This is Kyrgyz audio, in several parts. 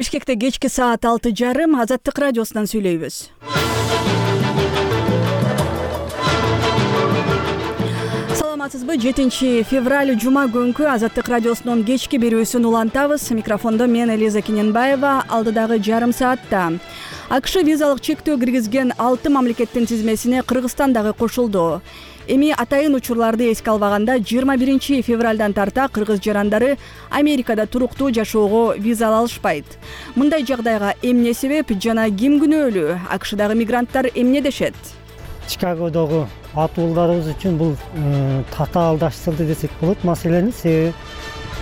Бишкекте кечки саат 6:30 Азаттык радиосунан сүйлөйбүз. Саламатсызбы? 7 февраль жума күнкү Азаттык радиосунун кечки берүүсүн улантабыз. Микрофондо мен Элиза Кененбаева. Алдыдагы жарым саатта АКШ визалык чектөө киргизген 6 мамлекеттин тизмесине Кыргызстан дагы кошулду. Эми атайын учурларды эске албаганда 21 февралдан тарта кыргыз жарандары Америкада туруктуу жашоого виза ала алышпайт. Мындай жагдайга эмне себеп жана ким күнөөлүү? АКШдагы мигранттар эмне дешет? Чикагодогу атуулдарыбыз үчүн бул татаалдаштырды десек болот маселени. Себеби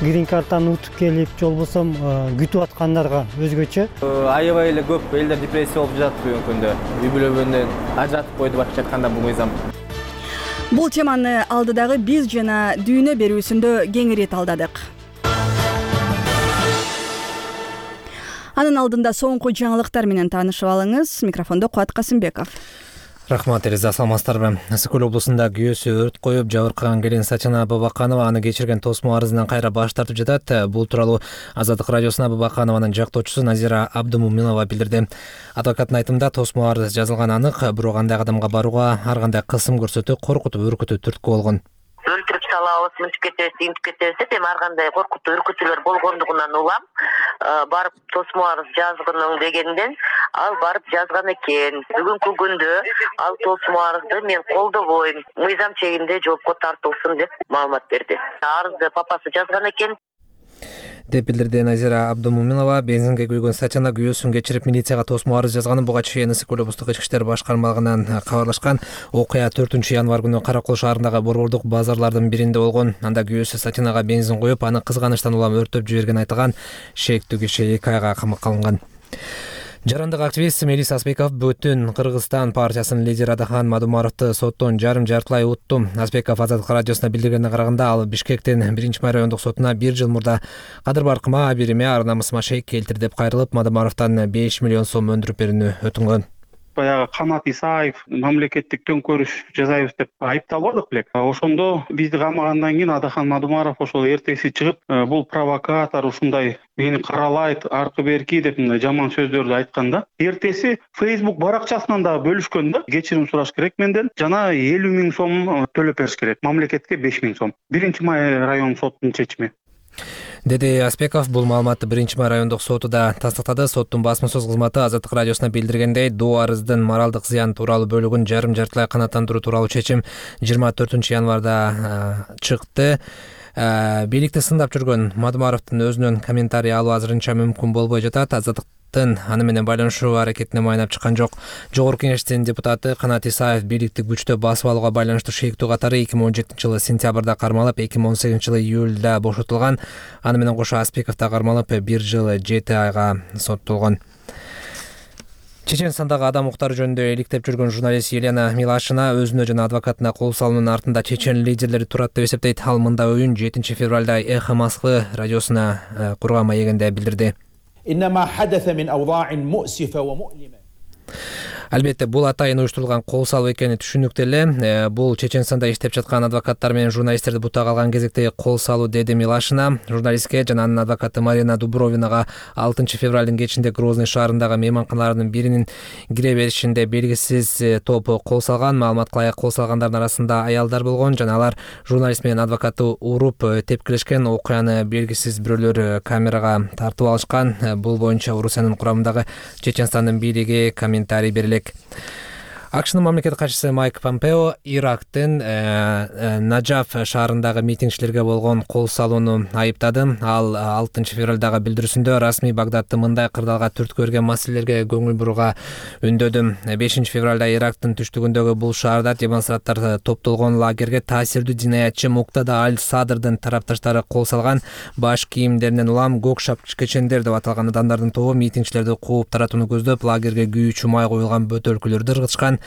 грин картаны утуп келип, же болбосо күтүп аткандарга өзгөчө. Аябай эле көп элдер депрессия болуп жатат бүгүнкү күндө. Үй бүлөмдөн ажыратып койду башкача айтканда бул мыйзам. Бул теманы алдыдагы биз жана дүйнө берүүсүндө кеңири талдадык. Анын алдында соңку жаңылыктар менен таанышып алыңыз. Микрофондо Кубат Касымбеков. Рахмат, Элиза, саламатсыздарбы? Ысык-көл облусунда күйөөсү өрт коюп жабыркаган келин Сачана Абубаканова аны кечирген тосмо арызынан кайра баш тартып жатат. Бул тууралуу Азаттык радиосуна Абубаканованын жактоочусу Назира Абдумуминова билдирди. Адвокаттын айтымында тосмо арыз жазылган анык, бирок андай кадамга барууга ар кандай кысым көрсөтүп, коркутуп, үркүтүү түрткү болгон. Өлтүрүп салабыз, мынтип кетебиз, интип кетебиз деп эми ар кандай коркутуу, үркүтүүлөр болгондугунан улам барып тосмо арыз жазгының дегенден ал барып жазган экен. Бүгүнкү күндө ал тосмо арызды мен колдобойм, мыйзам чегинде жоопко тартылсын деп маалымат берди. Арызды папасы жазган экен деп билдирди Назира Абдумуминова. Бензинге күйгөн Сачана күйөөсүн кечирип милицияга тосмо арыз жазганын буга чейин Ысык-көл облустук ички иштер башкармалыгынан кабарлашкан. Окуя 4 январь күнү Каракол шаарындагы борбордук базарлардын биринде болгон. Анда күйөөсү Сачанага бензин коюп, аны кызганычтан улам өрттөп жиберген айтылган. Шектүү киши 2 айга камакка алынган. Жарандык активист Мелис Аспеков Бүтүн Кыргызстан партиясынын лидери Адахан Мадумаровду соттон жарым-жартылай утту. Аспеков Азаттык радиосуна билдиргенине караганда, ал Бишкектин 1-май райондук сотуна 1 жыл мурда кадыр баркыма, абириме, ар намысыма шейк келтир деп кайрылып, Мадумаровдон 5 миллион сом өндүрүп берүүнү өтүнгөн. Баягы Канат Исаев мамлекеттик төңкөрүш жасайбыз деп айыпталбадык белек. Ошондо бизди камагандан кийин Адахан Мадумаров ошол эртеси чыгып, бул провокатор, ушундай мени каралайт, аркы берки деп мындай жаман сөздөрдү айткан да. Эртеси Facebook баракчасынан да бөлүшкөн да. Кечирим сураш керек менден. Жана 50 000 сом төлөп бериш керек. Мамлекетке 5 000 сом. 1-май район сотунун чечими. Деди Аспеков. Бул маалыматты 1-май райондук соту да тастыктады. Соттун басма сөз кызматы Азаттык радиосуна билдиргендей, доо арыздын моралдык зыян тууралуу бөлүгүн жарым-жартылай канааттандыруу тууралуу чечим 24 январда чыкты. Бийликти сындап жүргөн Мадумаровдун өзүнөн комментарий алуу азырынча мүмкүн болбой жатат. Азаттыктын аны менен байланышуу аракетине майнап чыккан жок. Жогорку кеңештин депутаты Канат Исаев бийликти күчтө басып алууга байланыштуу шектүү катары 2017-жылы сентябрда кармалып, 2018-жылы июлда бошотулган. Аны менен кошо Аспеков да кармалып 1 жыл 7 айга соттолгон. Чеченстандагы адам укуктары жөнүндө иликтеп жүргөн журналист Елена Милашина өзүнө жана адвокатына кол салуунун артында чечен лидерлери турат деп эсептейт. Ал мындай оюн 7 февралда Эхо Москвы радиосуна курган маегинде билдирди. Албетте, бул атайын уюштурулган кол салуу экени түшүнүктүү эле. Бул Чеченстанда иштеп жаткан адвокаттар менен журналисттерди бутага алган кезекте кол салуу, деди Милашина. Журналистке жана анын адвокаты Марина Дубровинага 6 февралдын кечинде Грозный шаарындагы мейманканалардын биринин кире беришинде белгисиз топ кол салган. Маалыматка ылайык, кол салгандардын арасында аялдар болгон жана алар журналист менен адвокатты уруп тепкилешкен. Окуяны белгисиз бирөөлөр камерага тартып алышкан. Бул боюнча Орусиянын курамындагы Чеченстандын бийлиги комментарий берилет. АКШнын мамлекет катчысы Майк Помпео Ирактын Наджаф шаарындагы митингчилерге болгон кол салууну айыптады. Ал 6 февралдагы билдирүүсүндө расмий Багдадты мындай кырдаалга түрткү берген маселелерге көңүл бурууга үндөдү. 5 февралда Ирактын түштүгүндөгү бул шаарда демонстранттар топтолгон лагерге таасирдүү динаятчы Муктада Аль-Садрдын тарапташтары кол салган. Баш кийимдеринен улам көк шапчыкечендер деп аталган адамдардын тобу митингчилерди кууп таратууну көздөп, лагерге күйүүчү май коюлган бөтөлкөлөрдү ыргытышкан.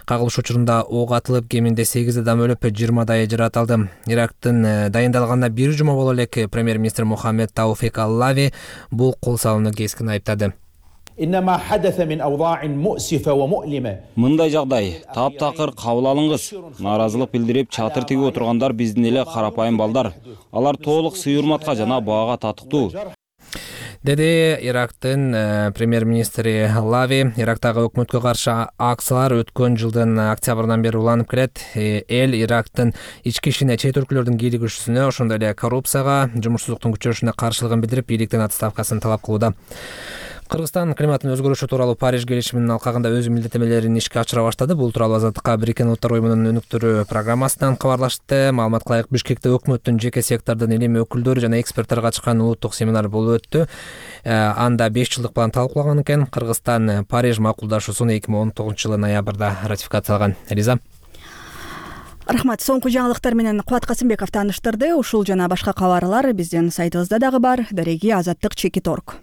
Кагылыш учурунда ок атылып, кеминде 8 адам өлүп, 20 жаракат алды. Ирактын дайындалганына 1 жума боло элек премьер-министр Мухаммед Тауфик Аллави бул кол салууну кескин айыптады. Мындай жагдай таптакыр кабыл алыңыз. Нааразылык билдирип чатыр тигип отургандар биздин эле карапайым балдар. Алар толук сый-урматка жана баага татыктуу. деди Ирактын премьер-министри Лави. Ирактагы өкмөткө каршы акциялар өткөн жылдын октябрынан бери уланып келет. Эл Ирактын ички ишине, чет өлкөлөрдүн кийлигишүүсүнө, ошондой эле коррупцияга, жумушсуздуктун күчөшүнө каршылыгын билдирип, бийликтен отставкасын талап кылууда. Кыргызстан климаттын өзгөрүшү тууралуу Париж келишиминин алкагында өз милдеттенмелерин ишке ашыра баштады. Бул тууралуу Азаттыкка Бириккен Улуттар уюмунун өнүктүрүү программасынан кабарлашты. Маалыматка ылайык, Бишкекте өкмөттүн, жеке сектордун илим өкүлдөрү жана эксперттер катышкан улуттук семинар болуп өттү. Анда 5 жылдык план талкуулаган экен. Кыргызстан Париж макулдашуусун 2019-жылы ноябрда ратификациялаган. Элиза. Рахмат. Соңку жаңылыктар менен Кубат Касымбеков тааныштырды. Ушул жана башка кабарлар биздин сайтыбызда дагы бар. Дареги Азаттык.org.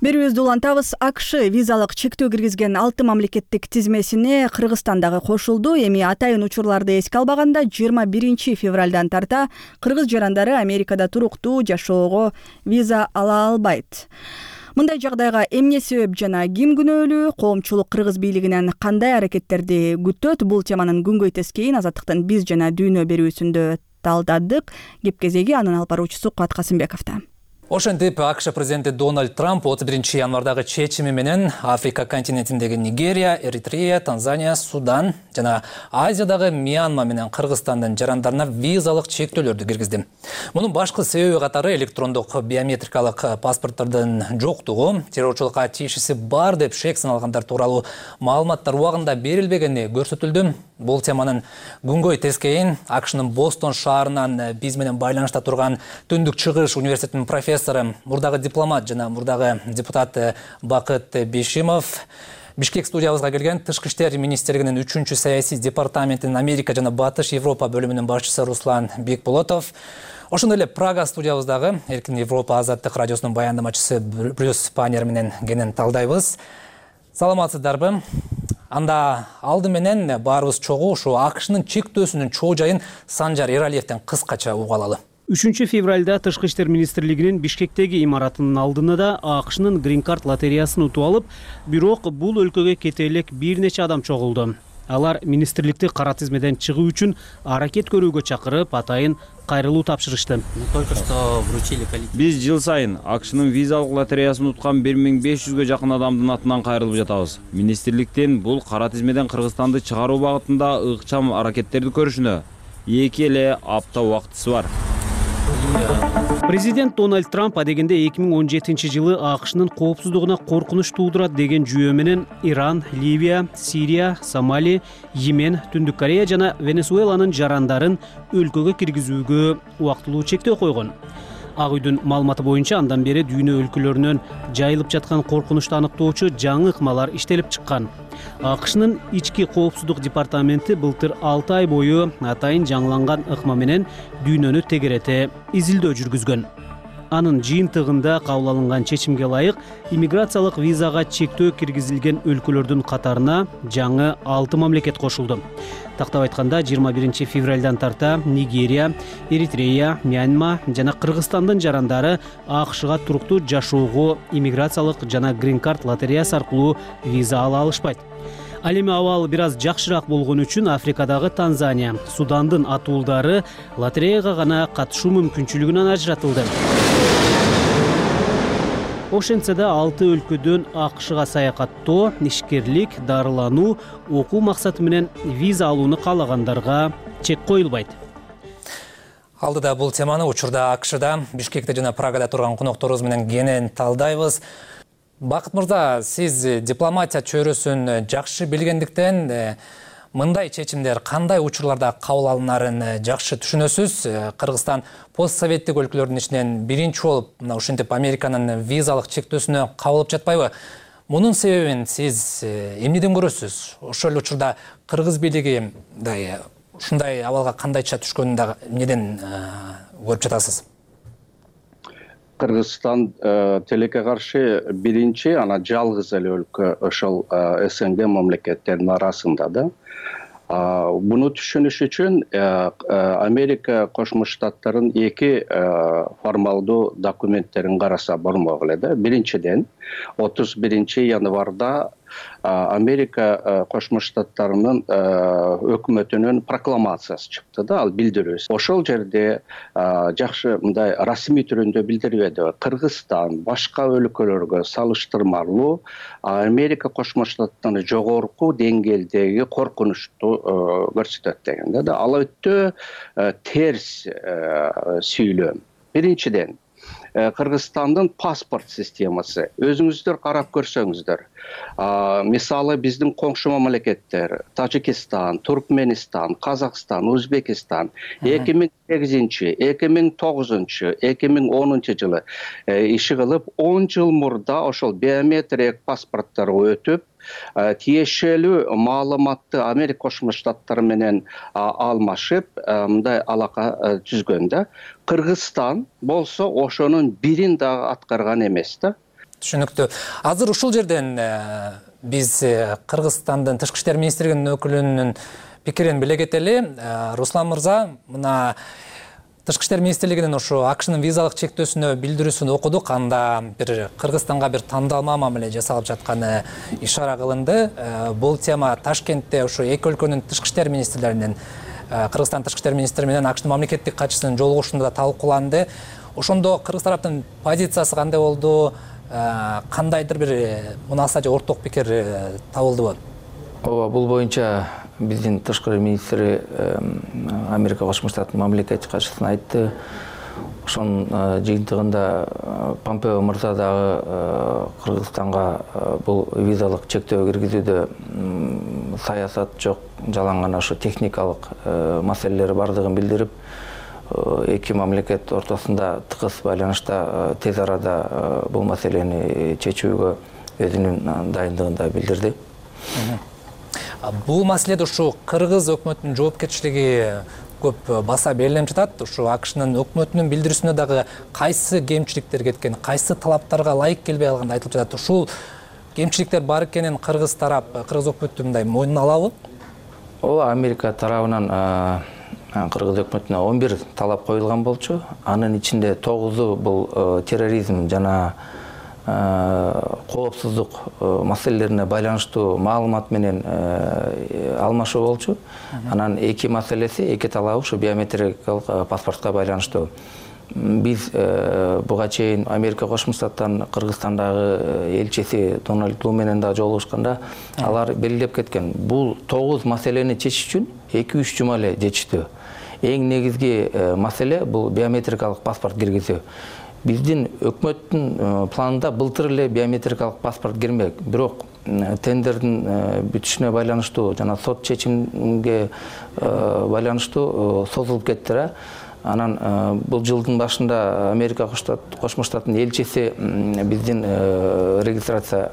Берүүбүздү улантабыз. АКШ визалык чектөө киргизген 6 мамлекеттик тизмесине Кыргызстан дагы кошулду. Эми атайын учурларды эске албаганда 21 февралдан тарта кыргыз жарандары Америкада туруктуу жашоого виза ала албайт. Мындай жагдайга эмне себеп жана ким күнөөлүү? Коомчулук кыргыз бийлигинен кандай аракеттерди күтөт? Бул теманын күнгөй тескейин Азаттыктын биз жана дүйнө берүүсүндө талдадык. Кеп кезеги анын алып баруучусу Кубат Касымбековдо. Ошентип, АКШ президенти Дональд Трамп 31 январдагы чечими менен Африка континентиндеги Нигерия, Эритрея, Танзания, Судан жана Азиядагы Мьянма менен Кыргызстандын жарандарына визалык чектөөлөрдү киргизди. Мунун башкы себеби катары электрондук биометрикалык паспорттордун жоктугу, террорчулукка тиешеси бар деп шек саналгандар тууралуу маалыматтар убагында берилбегени көрсөтүлдү. Бул теманын күнгөй тескейин АКШнын Бостон шаарынан биз менен байланышта турган Түндүк Чыгыш университетинин профессору, мурдагы дипломат жана мурдагы депутат Бакыт Бишимов, Бишкек студиябызга келген Тышкы иштер министрлигинин 3-чү саясий департаментинин Америка жана Батыш Европа бөлүмүнүн башчысы Руслан Бекболотов, ошондой эле Прага студиябыздагы Эркин Европа Азаттык радиосунун баяндамачысы Брюс Панер менен кенен талдайбыз. Саламатсыздарбы? Анда алды менен баарыбыз чогуу ушу АКШнын чектөөсүнүн чоо жайын Санжар Эралиевден кыскача угуп алалы. 3 февралда Тышкы иштер министрлигинин Бишкектеги имаратынын алдында да АКШнын Green Card лотереясын утуп алып, бирок бул өлкөгө кете элек бир нече адам чогулду. Алар министрликти кара тизмеден чыгуу үчүн аракет көрүүгө чакырып, атайын кайрылуу тапшырышты. Биз жыл сайын АКШнын визалык лотереясын уткан 1500гө жакын адамдын атынан кайрылып жатабыз. Министрликтин бул кара тизмеден Кыргызстанды чыгаруу багытында ыкчам аракеттерди көрүшүнө 2 эле апта убактысы бар. Президент Дональд Трамп адегенде 2017 жылы АКШнын коопсуздугуна коркунуч туудурат деген жүйө менен Иран, Ливия, Сирия, Сомали, Йемен, Түндүк Корея жана Венесуэланын жарандарын өлкөгө киргизүүгө убактылуу чектөө койгон. Ак үйдүн маалыматы боюнча андан бери дүйнө өлкөлөрүнөн жайылып жаткан коркунучту аныктоочу жаңы ыкмалар иштелип чыккан. АКШнын ички коопсуздук департаменти былтыр 6 ай бою атайын жаңыланган ыкма менен дүйнөнү тегерете изилдөө жүргүзгөн. Анын жыйынтыгында кабыл алынган чечимге ылайык иммиграциялык визага чектөө киргизилген өлкөлөрдүн катарына жаңы 6 мамлекет кошулду. Тактап айтканда 21 февралдан тарта Нигерия, Эритрея, Мьянма жана Кыргызстандын жарандары АКШга туруктуу жашоого иммиграциялык жана Green Card лотереясы аркылуу виза ала алышпайт. Ал эми абал бир аз жакшыраак болгон үчүн Африкадагы Танзания, Судандын атуулдары лотереяга гана катышуу мүмкүнчүлүгүнөн ажыратылды. Ошентсе да 6 өлкөдөн АКШга саякаттоо, ишкерлик, дарылануу, окуу максаты менен виза алууну каалагандарга чек коюлбайт. Алдыда бул теманы учурда АКШда, Бишкекте жана Прагада турган конокторубуз менен кенен талдайбыз. Бакыт мырза, сиз дипломатия чөйрөсүн жакшы билгендиктен мындай чечимдер кандай учурларда кабыл алынарын жакшы түшүнөсүз. Кыргызстан постсоветтик өлкөлөрдүн ичинен биринчи болуп ушинтип Американын визалык чектөөсүнө кабылып жатпайбы? Мунун себебин сиз эмнеден көрөсүз? Ошол эле учурда кыргыз бийлиги ушундай абалга кандайча түшкөнүн да эмнеден көрүп жатасыз? Кыргызстан тилекке каршы биринчи, ана жалгыз эле өлкө ошол СНГ мамлекеттеринин арасында да. Буну түшүнүш үчүн Америка Кошмо Штаттарынын 2 формалдуу документтерин караса болмок эле да. Биринчиден 31 январда Америка Кошмо Штаттарынын өкмөтүнүн прокламациясы чыкты да, ал билдирүүсү. Ошол жерде жакшы мындай расмий түрүндө билдирбеди. Кыргызстан башка өлкөлөргө салыштырмалуу Америка Кошмо Штаттарынын жогорку деңгээлдеги коркунучту көрсөтөт деген да. Ал өтө терс сүйлөм. Биринчиден, Кыргызстандын паспорт системасы. Өзүңүздөр карап көрсөңүздөр. Мисалы биздин коңшу мамлекеттер, Тажикистан, Туркменистан, Казакстан, Өзбекистан 2008, 2009, 2010 жылы иши кылып, 10 жыл мурда ошол биометрик паспортторго өтүп, тиешелүү маалыматты Америка Кошмо Штаттары менен алмашып, мындай алака түзгөн да. Кыргызстан болсо ошонун бирин дагы аткарган эмес да. Түшүнүктүү. Азыр ушул жерден биз Кыргызстандын Тышкы иштер министрлигинин өкүлүнүн пикирин биле кетели. Руслан мырза, мына Тышкы иштер министрлигинин ошо АКШнын визалык чектөөсүнө билдирүүсүн окудук. Анда бир Кыргызстанга бир тандалма мамиле жасалып жатканы ишара кылынды. Бул тема Ташкентте ошо эки өлкөнүн тышкы иштер министрлеринин, Кыргызстан тышкы иштер министри менен АКШнын мамлекеттик катчысынын жолугушуусунда талкууланды. Ошондо кыргыз тараптын позициясы кандай болду? Кандайдыр бир мунаса же орток пикир табылдыбы? Ооба, бул боюнча биздин тышкы министри Америка Кошмо Штаттарынын мамлекеттик катчысына айтты. Ошонун жыйынтыгында Помпео мырза дагы Кыргызстанга бул визалык чектөө киргизүүдө саясат жок, жалаң гана ошо техникалык маселелер бардыгын билдирип, эки мамлекет ортосунда тыгыз байланышта тез арада бул маселени чечүүгө өзүнүн дайындыгын да билдирди. Бул маселеде ушу кыргыз өкмөтүнүн жоопкерчилиги көп баса берилип жатат. Ушу АКШнын өкмөтүнүн билдирүүсүнө дагы кайсы кемчиликтер кеткен, кайсы талаптарга ылайык келбей калганы айтылып жатат. Ушул кемчиликтер бар экенин кыргыз тарап, кыргыз өкмөтү мындай мойнуна алабы? Ооба, Америка тарабынан кыргыз өкмөтүнө 11 талап коюлган болчу. Анын ичинде 9-у бул терроризм жана коопсуздук маселелерине байланыштуу маалымат менен алмашуу болчу. Анан эки маселеси, эки талабы ушу биометрикалык паспортко байланыштуу. Биз буга чейин Америка Кошмо Штаттарынын Кыргызстандагы элчиси Дональд Лу менен да жолугушканда алар белгилеп кеткен. Бул 9 маселени чечиш үчүн 2-3 жума эле жетиштүү. Эң негизги маселе бул биометрикалык паспорт киргизүү. Биздин өкмөттүн планында былтыр эле биометрикалык паспорт кирмек. Бирок тендердин бүтүшүнө байланыштуу жана сот чечимге байланыштуу созулуп кетти. Анан бул жылдын башында Америка Кошмо Штаттарынын элчиси биздин регистрация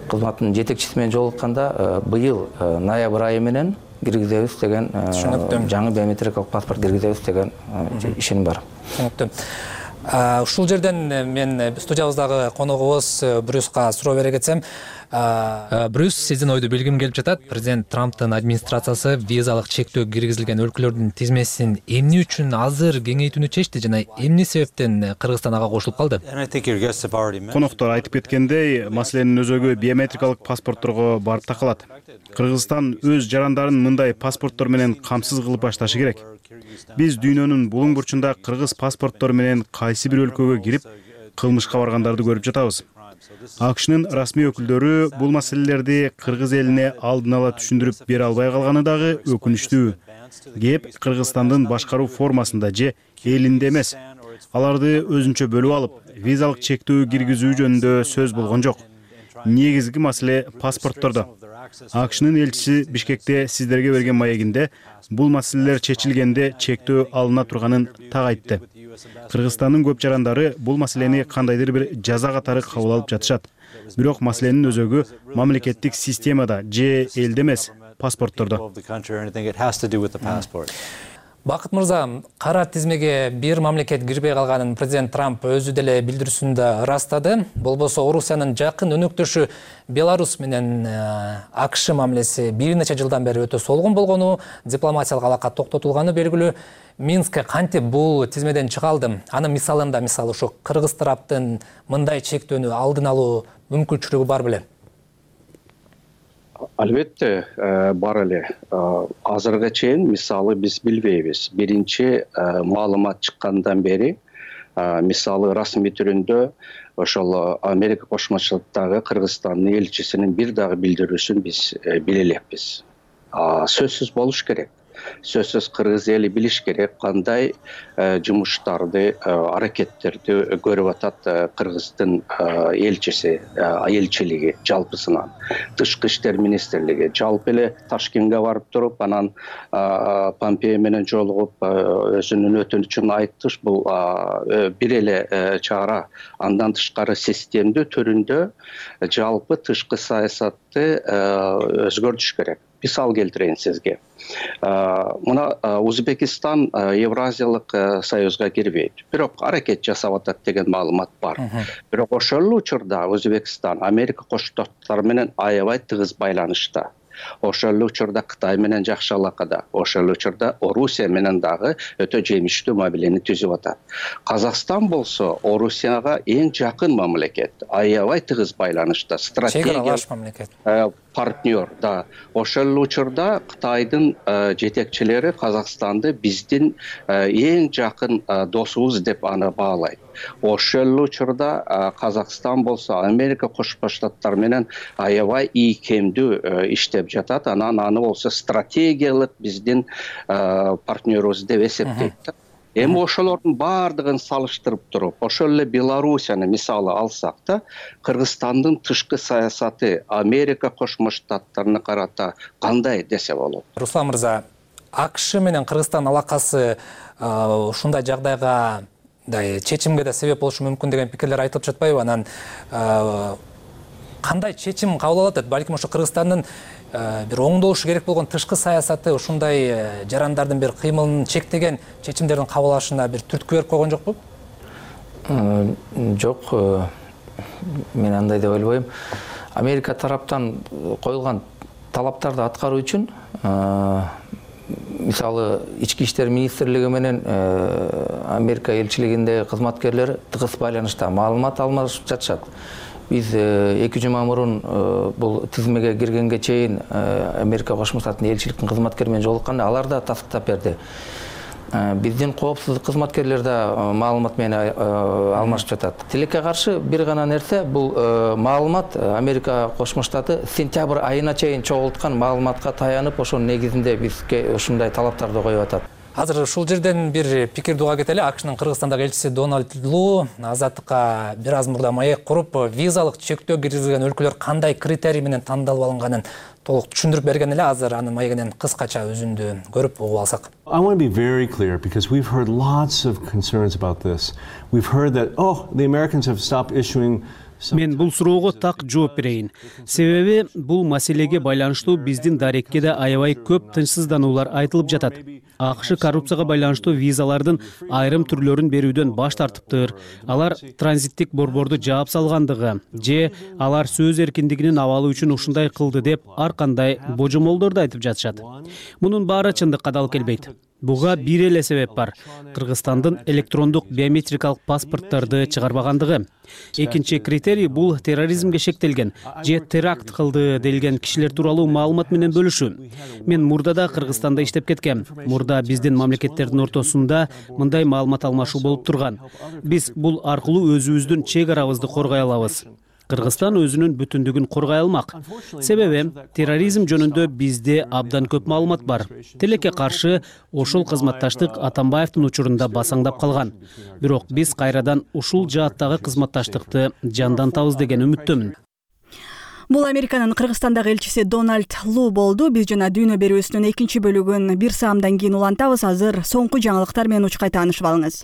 кызматынын жетекчиси менен жолукканда быйыл ноябрь айы менен киргизебиз деген, жаңы биометрикалык паспорт киргизебиз деген ишеним бар. Ушул жерден мен студиябыздагы коногубуз Брюска суроо бере кетсем. Брюс, сиздин ойду билгим келип жатат. Президент Трамптын администрациясы визалык чектөө киргизилген өлкөлөрдүн тизмесин эмне үчүн азыр кеңейтүүнү чечти жана эмне себептен Кыргызстан ага кошулуп калды? Коноктор айтып кеткендей, маселенин өзөгү биометрикалык паспортторго барып такалат. Кыргызстан өз жарандарын мындай паспорттор менен камсыз кылып башташы керек. Биз дүйнөнүн булуң бурчунда кыргыз паспорттору менен кайсы бир өлкөгө кирип, кылмышка баргандарды көрүп жатабыз. АКШнын расмий өкүлдөрү бул маселелерди кыргыз элине алдын ала түшүндүрүп бере албай калганы дагы өкүнүчтүү. Кеп Кыргызстандын башкаруу формасында же элинде эмес. Аларды өзүнчө бөлүп алып, визалык чектөө киргизүү жөнүндө сөз болгон жок. Негизги маселе паспорттордо. АКШнын элчиси Бишкекте сиздерге берген маегинде бул маселелер чечилгенде чектөө алына турганын так айтты. Кыргызстандын көп жарандары бул маселени кандайдыр бир жаза катары кабыл алып жатышат. Бирок маселенин өзөгү мамлекеттик системада же элде эмес, паспорттордо. Бакыт мырза, кара тизмеге бир мамлекет кирбей калганын президент Трамп өзү деле билдирүүсүндө ырастады. Болбосо Орусиянын жакын өнөктөшү Беларусь менен АКШ мамилеси бир нече жылдан бери өтө солгун болгону, дипломатиялык алака токтотулганы белгилүү. Минск кантип бул тизмеден чыга алды? Анын мисалында ошо кыргыз тараптын мындай чектөөнү алдын алуу мүмкүнчүлүгү бар беле? Албетте бар эле. Азыркыга чейин мисалы биз билбейбиз. Биринчи маалымат чыккандан бери мисалы расмий түрүндө ошол Америка Кошмо Штаттагы Кыргызстандын элчисинин бир дагы билдирүүсүн биз биле элекпиз. Сөзсүз болуш керек. Сөзсүз кыргыз эли билиш керек кандай жумуштарды, аракеттерди көрүп атат Кыргыздын элчиси, элчилиги жалпысынан, тышкы иштер министрлиги. Жалпы эле Ташкентке барып туруп, анан Помпео менен жолугуп өзүнүн өтүнүчүн айтты. Бул бир эле чара. Андан тышкары системдүү түрүндө жалпы тышкы саясатты өзгөртүш керек. Мисал келтирейин сизге. Мына Узбекистан Евразиялык союзга кирбейт. Бирок аракет жасап атат деген маалымат бар. Бирок ошол учурда Өзбекстан Америка Кошмо Штаттары менен аябай тыгыз байланышта. Ошол учурда Кытай менен жакшы алакада. Ошол учурда Орусия менен дагы өтө жемиштүү мамилени түзүп атат. Казакстан болсо Орусияга эң жакын мамлекет. Аябай тыгыз байланышта. Чек-аралаш мамлекет. Партнер, да. Ошол учурда Кытайдын жетекчилери Казакстанды биздин эң жакын досубуз деп аны баалайт. Ошол учурда Казакстан болсо Америка Кошмо Штаттары менен аябай ийкемдүү иштеп жатат. Анан аны болсо стратегиялык биздин партнерубуз деп эсептейт. Эми ошолордун баардыгын салыштырып туруп, ошол эле Белоруссияны мисалы алсак да, Кыргызстандын тышкы саясаты Америка Кошмо Штаттарына карата кандай десе болот? Руслан мырза, АКШ менен Кыргызстан алакасы ушундай жагдайга чечимге да себеп болушу мүмкүн деген пикирлер айтылып жатпайбы? Анан кандай чечим кабыл алат? Балким ошо Кыргызстандын бир оңдолушу керек болгон тышкы саясаты ушундай жарандардын бир кыймылын чектеген чечимдердин кабыл алышына бир түрткү берип койгон жокпу? Жок, мен андай деп ойлойм. Америка тараптан коюлган талаптарды аткаруу үчүн мисалы ички иштер министрлиги менен Америка элчилигиндеги кызматкерлер тыгыз байланышта маалымат алмашып жатышат. Биз 2 жума мурун бул тизмеге киргенге чейин Америка Кошмо Штаттын элчиликтин кызматкери менен жолукканда алар да тастыктап берди. Биздин коопсуздук кызматкерлери да маалымат менен алмашып жатат. Тилекке каршы бир гана нерсе, бул маалымат Америка Кошмо Штаты сентябрь айына чейин чогулткан маалыматка таянып, ошонун негизинде бизге ушундай талаптарды коюп атат. Азыр ушул жерден бир пикирди уга кетели. АКШнын Кыргызстандагы элчиси Дональд Лу Азаттыкка бир аз мурда маек куруп, визалык чектөө киргизилген өлкөлөр кандай критерий менен тандалып алынганын толук түшүндүрүп берген эле. Азыр анын маегинен кыскача үзүндү көрүп угуп алсак. I want to be very clear because we've heard lots of concerns about this. We've heard that the Americans have stopped issuing. Мен бул суроого так жооп берейин. Себеби бул маселеге байланыштуу биздин дарекке да аябай көп тынчсыздануулар айтылып жатат. АКШ коррупцияга байланыштуу визалардын айрым түрлөрүн берүүдөн баш тартыптыр. Алар транзиттик борборду жаап салгандыгы же алар сөз эркиндигинин абалы үчүн ушундай кылды деп ар кандай божомолдорду айтып жатышат. Мунун баары чындыкка дал келбейт. Буга бир эле себеп бар. Кыргызстандын электрондук биометрикалык паспорттарды чыгарбагандыгы. Экинчи критерий бул терроризмге шектелген же теракт кылды делген кишилер тууралуу маалымат менен бөлүшүү. Мен мурда да Кыргызстанда иштеп кеткем. Мурда биздин мамлекеттердин ортосунда мындай маалымат алмашуу болуп турган. Биз бул аркылуу өзүбүздүн чек арабызды коргой алабыз. Кыргызстан өзүнүн бүтүндүгүн коргой алмак. Себеби терроризм жөнүндө бизде абдан көп маалымат бар. Тилекке каршы ошол кызматташтык Атамбаевдин учурунда басаңдап калган. Бирок биз кайрадан ушул жааттагы кызматташтыкты жандантабыз деген үмүттөмүн. Бул Американын Кыргызстандагы элчиси Дональд Лу болду. Биз жана дүйнө берүүсүнүн экинчи бөлүгүн бир саамдан кийин улантабыз. Азыр соңку жаңылыктар менен учкай таанышып алыңыз.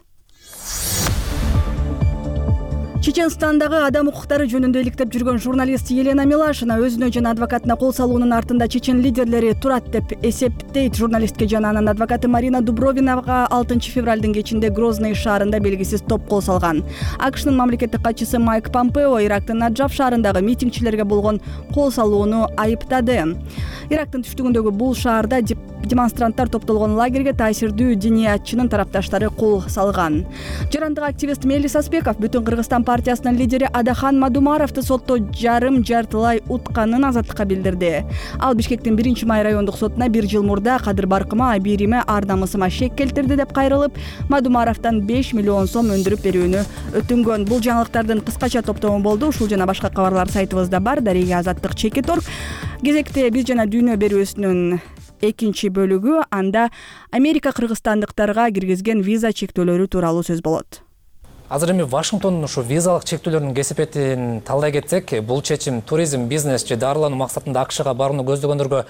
Чеченстандагы адам укуктары жөнүндө иликтеп жүргөн журналист Елена Милашина өзүнө жана адвокатына кол салуунун артында чечен лидерлери турат деп эсептейт. Журналистке жана анын адвокаты Марина Дубровинага 6 февралдын кечинде Грозный шаарында белгисиз топ кол салган. АКШнын мамлекеттик катчысы Майк Помпео Ирактын Наджаф шаарындагы митингчилерге болгон кол салууну айыптады. Ирактын түштүгүндөгү бул шаарда демонстранттар топтолгон лагерге таасирдүү диниятчынын тарапташтары кол салган. Жарандык активист Мелис Аспеков Бүтүн Кыргызстан партиясынын лидери Адахан Мадумаровду сотто жартылай утканын азаттыкка билдирди. Ал Бишкектин 1-май райондук сотуна 1 жыл мурда кадыр баркыма, бириме, ар намысыма шек келтирди деп кайрылып, Мадумаровдон 5 миллион сом өндүрүп берүүнү өтүнгөн. Бул жаңылыктардын кыскача топтому болду. Ушул жана башка кабарлар сайтыбызда бар. Дарега Азаттык Чекит.org. Кезекте биз жана дүйнө берүүсүнүн экинчи бөлүгү, анда Америка кыргызстандыктарга киргизген виза чектөөлөрү тууралуу сөз болот. Азыр эми Вашингтондун ушу визалык чектөөлөрдүн кесепетин талдай кетсек, бул чечим туризм, бизнес же дарылануу максатында АКШга барууну көздөгөндөргө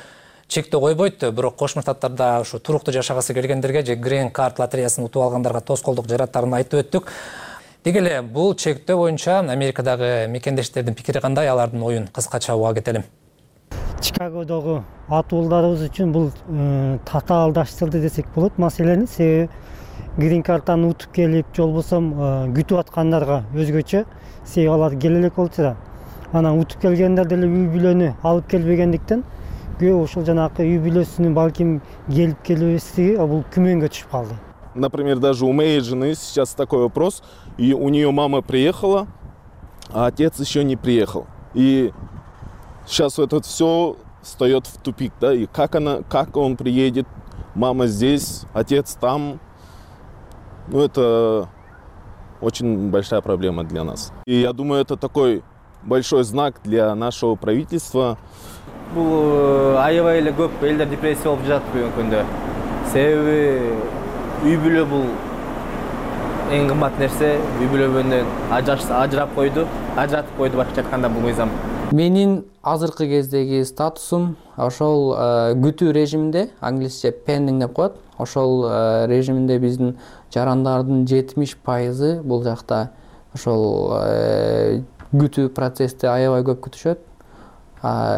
чектөө койбойт. Бирок Кошмо Штаттарда ушу туруктуу жашагысы келгендерге же Green Card лотереясын утуп алгандарга тоскоолдук жараттарын айтып өттүк. Деги эле бул чектөө боюнча Америкадагы мекендештердин пикири кандай, алардын оюн кыскача уга кетели. Чикагодогу атуулдарыбыз үчүн бул татаалдаштырды десек болот маселени. Себеби Green Card'тан утуп келип, жолбосо күтүп аткандарга өзгөчө, себеби алар келе элек болчу да. Анан утуп келгендер деле үй бүлөнү алып келбегендиктен көбү ошол жанакы үй бүлөсүнүн балким келип келбестиги бул күмөнгө түшүп калды. Например, даже у моей жены сейчас такой вопрос, и у нее мама приехала, а отец еще не приехал. И сейчас это все встает в тупик, да, и как он приедет, мама здесь, отец там, ну это очень большая проблема для нас. И я думаю, это такой большой знак для нашего правительства. Бул аябай эле көп элдер депрессия болуп жатат бүгүнкү күндө. Себеби үй бүлө бул эң кымбат нерсе. Үй бүлөдөн ажыратып койду башкача айтканда бул мыйзам. Менин азыркы кездеги статусум ошол күтүү режиминде, англисче pending деп коет. Ошол режиминде биздин жарандардын 70% бул жакта ошол күтүү процессти аябай көп күтүшөт.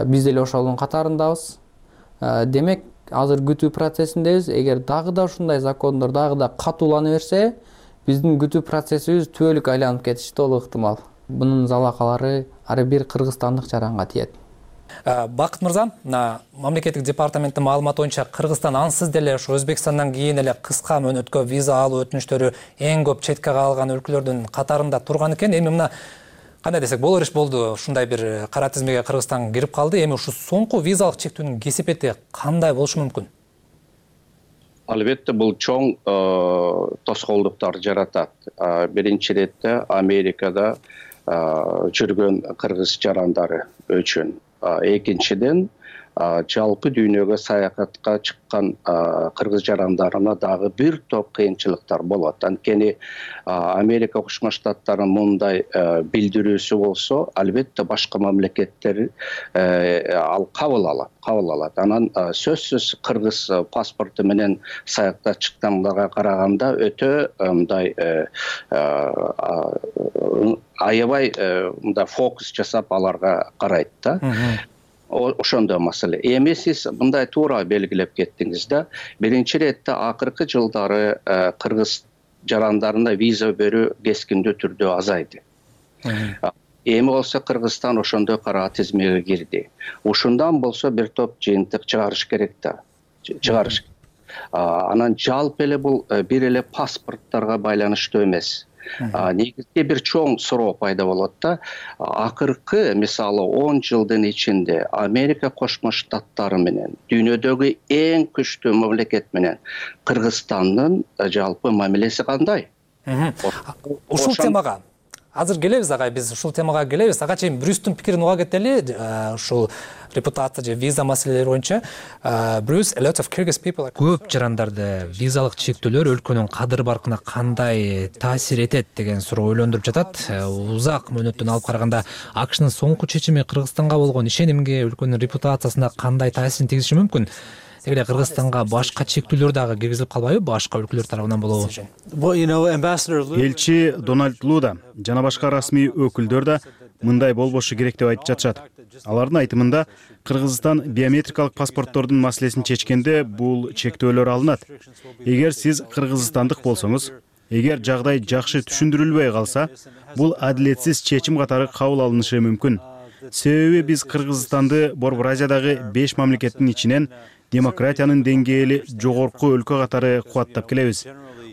Биз деле ошолдун катарындабыз. Демек, азыр күтүү процессиндебиз. Эгер дагы да ушундай закондор дагы да катуулана берсе, биздин күтүү процессибиз түбөлүк айланып кетиши толук ыктымал. Бунун залакалары ар бир кыргызстандык жаранга тиет. Бакыт мырза, мамлекеттик департаменттин маалыматы боюнча Кыргызстан ансыз деле ошо Өзбекстандан кийин эле кыска мөөнөткө виза алуу өтүнүчтөрү эң көп четке калган өлкөлөрдүн катарында турган экен. Эми мына кандай десек болор иш болду, ушундай бир кара тизмеге Кыргызстан кирип калды. Эми ушу соңку визалык чектөөнүн кесепети кандай болушу мүмкүн? Албетте бул чоң тоскоолдуктар жаратат. Биринчи иретте Америкада жүргөн кыргыз жарандары үчүн. Экинчиден жалпы дүйнөгө саякатка чыккан кыргыз жарандарына дагы бир топ кыйынчылыктар болот. Анткени Америка Кошмо Штаттарынын мындай билдирүүсү болсо, албетте башка мамлекеттер ал кабыл алат. Анан сөзсүз кыргыз паспорту менен саякка чыккандарга караганда өтө мындай аябай мындай фокус жасап аларга карайт да. Ошондой маселе. Эми сиз мындай туура белгилеп кеттиңиз да. Биринчи иретте акыркы жылдары кыргыз жарандарына виза берүү кескиндүү түрдө азайды. Эми болсо Кыргызстан ошондой кара тизмеге кирди. Ушундан болсо бир топ жыйынтык чыгарыш керек да. Анан жалпы эле бул бир эле паспорттарга байланыштуу эмес. Негизги бир чоң суроо пайда болот да. Акыркы, мисалы 10 жылдын ичинде Америка Кошмо Штаттары менен дүйнөдөгү эң күчтүү мамлекет менен Кыргызстандын жалпы мамилеси кандай? Ушул темага азыр келебиз агай, биз ушул темага келебиз. Ага чейин Брюстун пикирин уга кетели. Ушул репутация же виза маселелери боюнча Брюс, a lot of Kyrgyz people. Көп жарандарды визалык чектөөлөр өлкөнүн кадыр баркына кандай таасир этет деген суроо ойлондуруп жатат. Узак мөөнөттөн алып караганда АКШнын соңку чечими Кыргызстанга болгон ишенимге, өлкөнүн репутациясына кандай таасирин тийгизиши мүмкүн? Эгер Кыргызстанга башка чектөөлөр дагы киргизилип калбайбы, башка өлкөлөр тарабынан болобу? Элчи Дональд Луда жана башка расмий өкүлдөр да мындай болбошу керек деп айтып жатышат. Алардын айтымында Кыргызстан биометрикалык паспорттордун маселесин чечкенде бул чектөөлөр алынат. Эгер сиз кыргызстандык болсоңуз, эгер жагдай жакшы түшүндүрүлбөй калса, бул адилетсиз чечим катары кабыл алынышы мүмкүн. Себеби биз Кыргызстанды Борбор Азиядагы 5 мамлекеттин ичинен демократиянын деңгээли жогорку өлкө катары кубаттап келебиз.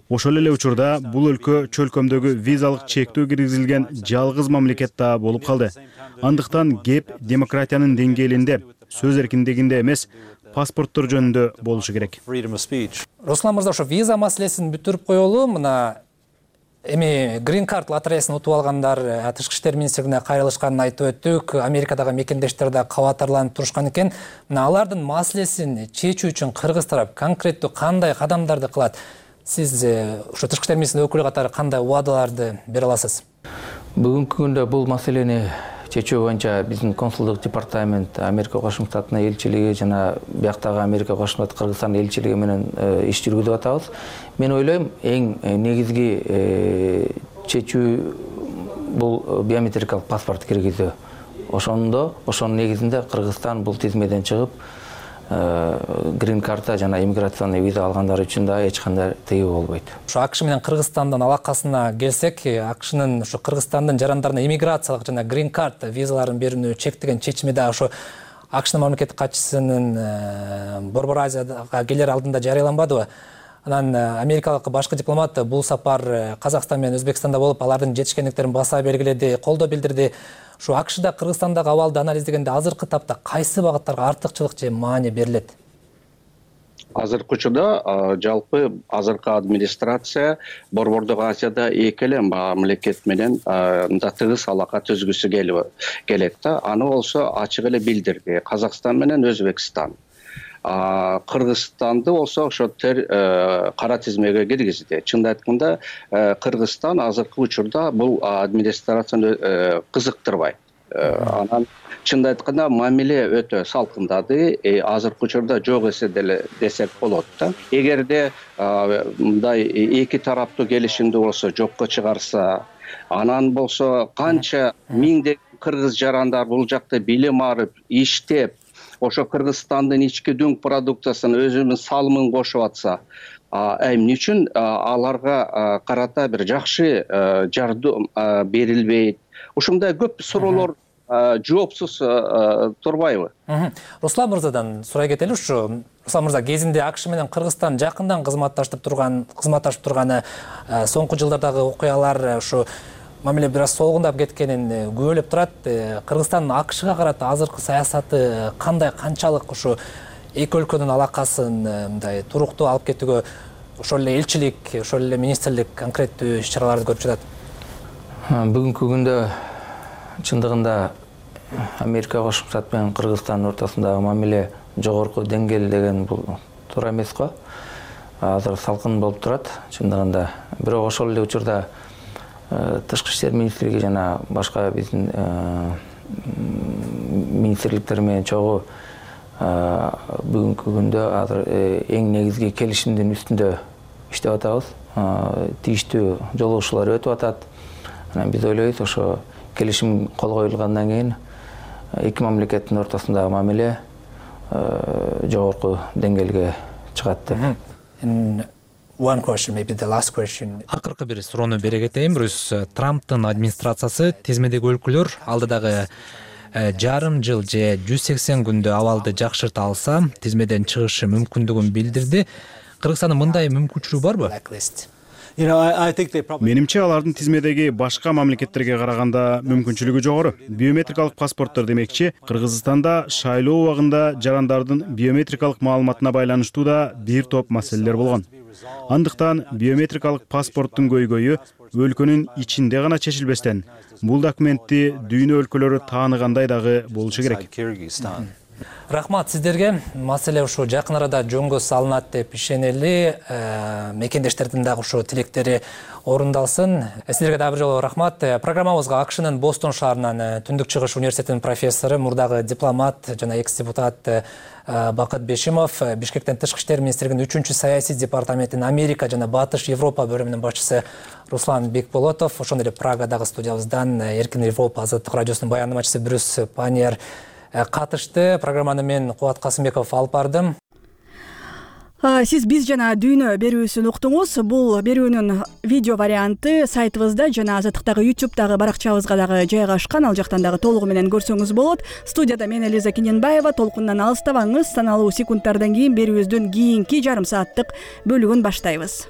Ошол эле учурда бул өлкө чөлкөмдөгү визалык чектөө киргизилген жалгыз мамлекет да болуп калды. Андыктан кеп демократиянын деңгээлинде, сөз эркиндигинде эмес, паспорттор жөнүндө болушу керек. Руслан мырза, ошо виза маселесин бүтүрүп коелу. Мына эми Green Card лотереясын утуп алгандар Тышкы иштер министрлигине кайрылышканын айтып өттүк. Америкадагы мекендештер да кабатарланып турушкан экен. Мына алардын маселесин чечүү үчүн кыргыз тарап конкреттүү кандай кадамдарды кылат? Сиз ошо Тышкы иштер министринин өкүлү катары кандай убадаларды бере аласыз? Бүгүнкү күндө бул маселени чечүү боюнча биздин консулдук департамент, Америка Кошмо Штаттын элчилиги жана бияктагы Америка Кошмо Штат Кыргызстан элчилиги менен иш жүргүзүп атабыз. Мен ойлойм, эң негизги чечүү бул биометрикалык паспорт киргизүү. Ошонун негизинде Кыргызстан бул тизмеден чыгып, Green Card жана иммиграционный виза алгандар үчүн да эч кандай тыюу болбойт. Ошо АКШ менен Кыргызстандын алакасына келсек, АКШнын ошо Кыргызстандын жарандарына иммиграциялык жана Green Card визаларын берүүнү чектеген чечими да ошо АКШнын мамлекеттик катчысынын Борбор Азияга келер алдында жарыяланбадыбы? Анан америкалык башкы дипломат бул сапар Казакстан менен Өзбекстанда болуп, алардын жетишкендиктерин баса белгиледи, колдоо билдирди. Ушу АКШда Кыргызстандагы абалды анализдегенде азыркы тапта кайсы багыттарга артыкчылык же маани берилет? Азыркы учурда жалпы азыркы администрация Борбордук Азияда эки эле мамлекет менен мындай тыгыз алака түзгүсү келет да. Аны болсо ачык эле билдирди. Казакстан менен Өзбекстан. Кыргызстанды болсо ошо кара тизмеге киргизди. Чынын айтканда, Кыргызстан азыркы учурда бул администрацияны кызыктырбайт. Анан чынын айтканда мамиле өтө салкындады. Азыркы учурда жок эсе деле десек болот да. Эгерде мындай эки тараптуу келишимди болсо жокко чыгарса, анан болсо канча миңдеген кыргыз жарандар бул жакта билим алып, иштеп, ошо Кыргызстандын ички дүң продукциясын өзүнүн салымын кошуп атса, эмне үчүн аларга карата бир жакшы жардам берилбейт? Ушундай көп суроолор жоопсуз турбайбы? Руслан мырзадан сурай кетели. Ушу Руслан мырза кезинде АКШ менен Кыргызстан жакындан кызматташып турганы соңку жылдардагы окуялар ушу мамиле бир аз солгундап кеткенин күбөлөп турат. Кыргызстандын АКШга карата азыркы саясаты кандай, канчалык ушу эки өлкөнүн алакасын мындай туруктуу алып кетүүгө ошол эле элчилик, ошол эле министрлик конкреттүү иш-чараларды көрүп жатат? Бүгүнкү күндө чындыгында Америка Кошмо Штат менен Кыргызстандын ортосундагы мамиле жогорку деңгээл деген бул туура эмес го. Азыр салкын болуп турат чындыгында. Бирок ошол эле учурда Тышкы иштер министрлиги жана башка биздин министрликтер менен чогуу бүгүнкү күндө азыр эң негизги келишимдин үстүндө иштеп атабыз. Тийиштүү жолугушуулар өтүп атат. Анан биз ойлойбуз, ошо келишим кол коюлгандан кийин эки мамлекеттин ортосундагы мамиле жогорку деңгээлге чыгат деп. One question, maybe the last question. Акыркы бир суроону бере кетейин. Трамптын администрациясы тизмедеги өлкөлөр алдыдагы жарым жыл же 180 күндө абалды жакшырта алса, тизмеден чыгышы мүмкүндүгүн билдирди. Кыргызстандын мындай мүмкүнчүлүгү барбы? Менимче алардын тизмедеги башка мамлекеттерге караганда мүмкүнчүлүгү жогору. Биометрикалык паспорттор демекчи, Кыргызстанда шайлоо убагында жарандардын биометрикалык маалыматына байланыштуу да бир топ маселелер болгон. Андыктан биометрикалык паспорттун көйгөйү өлкөнүн ичинде гана чечилбестен, бул документти дүйнө өлкөлөрү тааныгандай дагы болушу керек. Рахмат сиздерге. Маселе ушу жакын арада жөнгө салынат деп ишенели. Мекендештердин дагы ушу тилектери орундалсын. Сиздерге дагы бир жолу рахмат. Программабызга АКШнын Бостон шаарынан Түндүк Чыгыш университетинин профессору, мурдагы дипломат жана экс-депутат Бакыт Бешимов, Бишкектен Тышкы иштер министрлигинин 3-чү саясий департаментинин Америка жана Батыш Европа бөлүмүнүн башчысы Руслан Бекболотов, ошондой эле Прагадагы студиябыздан Эркин Европа азаттык радиосунун баяндамачысы Брюс Паньер катышты. Программаны мен Кубат Касымбеков алып бардым. Сиз биз жана дүйнө берүүсүн уктуңуз. Бул берүүнүн видео варианты сайтыбызда жана Азаттыктагы YouTube'дагы баракчабызга дагы жайгашкан. Ал жактан дагы толугу менен көрсөңүз болот. Студияда мен Элиза Киненбаева. Толкундан алыстабаңыз. Саналуу секундтардан кийин берүүбүздүн кийинки жарым сааттык бөлүгүн баштайбыз.